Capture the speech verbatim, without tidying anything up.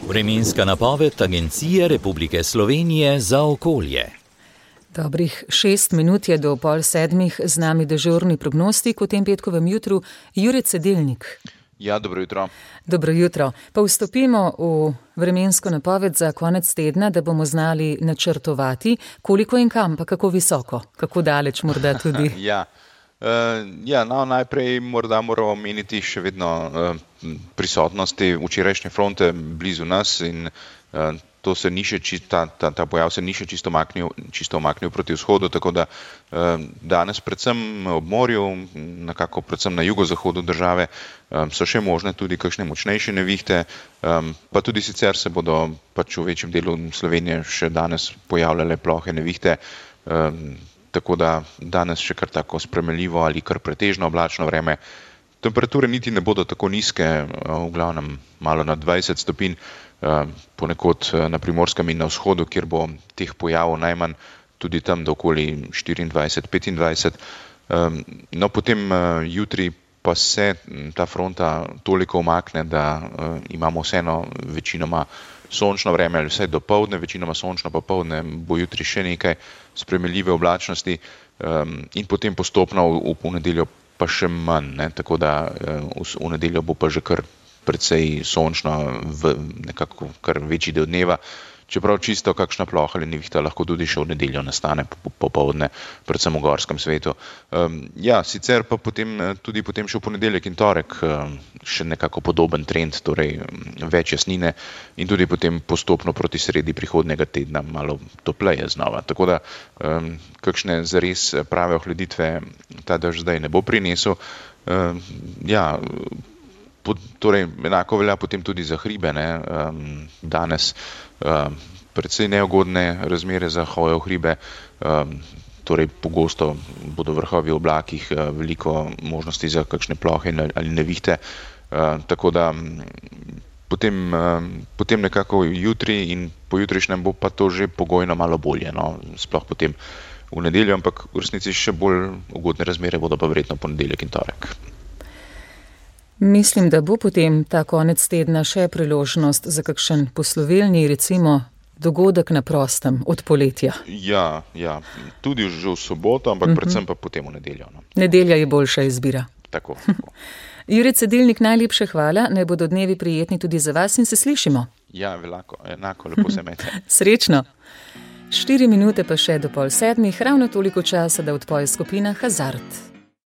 Vremenska napoved Agencije Republike Slovenije za okolje. Dobrih šest minut je do pol sedmih, z nami dežurni prognostik v tem petkovem jutru, Jure Cedilnik. Ja, dobro jutro. Dobro jutro. Pa vstopimo v vremensko napoved za konec tedna, da bomo znali načrtovati, koliko in kam, pa kako visoko, kako daleč morda tudi. ja, uh, ja no, najprej morda moramo omeniti še vedno uh, prisotnosti včerajšnje fronte blizu nas in uh, to se ni še čist, ta, ta, ta pojav se ni še čisto omaknil, čisto omaknil proti vzhodu, tako da eh, danes predvsem ob morju, nekako predvsem na jugozahodu države, eh, so še možne tudi kakšne močnejše nevihte, eh, pa tudi sicer se bodo pač v večjem delu Slovenije še danes pojavljale plohe nevihte, eh, tako da danes še kar tako spremenljivo ali kar pretežno oblačno vreme. Temperature niti ne bodo tako nizke, v glavnem malo nad dvajset stopinj, ponekod na Primorskem in na vzhodu, kjer bo teh pojavov najmanj, tudi tam do okoli štiriindvajset petindvajset. No, potem jutri pa se ta fronta toliko umakne, da imamo vseeno večinoma sončno vreme, ali vsaj dopoldne, večinoma sončno popoldne, bo jutri še nekaj spremenljive oblačnosti in potem postopno v ponedeljo pa še manj, ne? Tako da v nedeljo bo pa že kar precej sončno v nekako kar večji del dneva, čeprav čisto kakšna ploha ali nevihta lahko tudi še v nedeljo nastane popoldne, predvsem v gorskem svetu. Um, ja, sicer pa potem tudi potem še v ponedeljek in torek um, še nekako podoben trend, torej več jasnine in tudi potem postopno proti sredi prihodnjega tedna malo topleje znova. Tako da um, kakšne zares prave ohladitve ta dež zdaj ne bo prinesel. Um, ja, Torej, enako velja potem tudi za hribe, ne? Um, danes um, precej neugodne razmere za hojo v hribe, um, torej pogosto bodo vrhovi v oblakih, uh, veliko možnosti za kakšne plohe ali nevihte, uh, tako da um, potem, um, potem nekako jutri in pojutrišnjem bo pa to že pogojno malo bolje, no? Sploh potem v nedeljo, ampak v resnici še bolj ugodne razmere bodo pa verjetno ponedeljek in torek. Mislim, da bo potem ta konec tedna še priložnost za kakšen poslovilni, recimo, dogodek na prostem od poletja. Ja, ja, tudi že v soboto, ampak uh-huh. predvsem pa potem v nedeljo. No. Nedelja je boljša izbira. Tako, tako. Jure Cedilnik, najlepše hvala, naj bodo dnevi prijetni tudi za vas in se slišimo. Ja, velako, enako, lepo se imejte. Srečno. Štiri minute pa še do pol sedmih, ravno toliko časa, da odpoje skupina Hazard.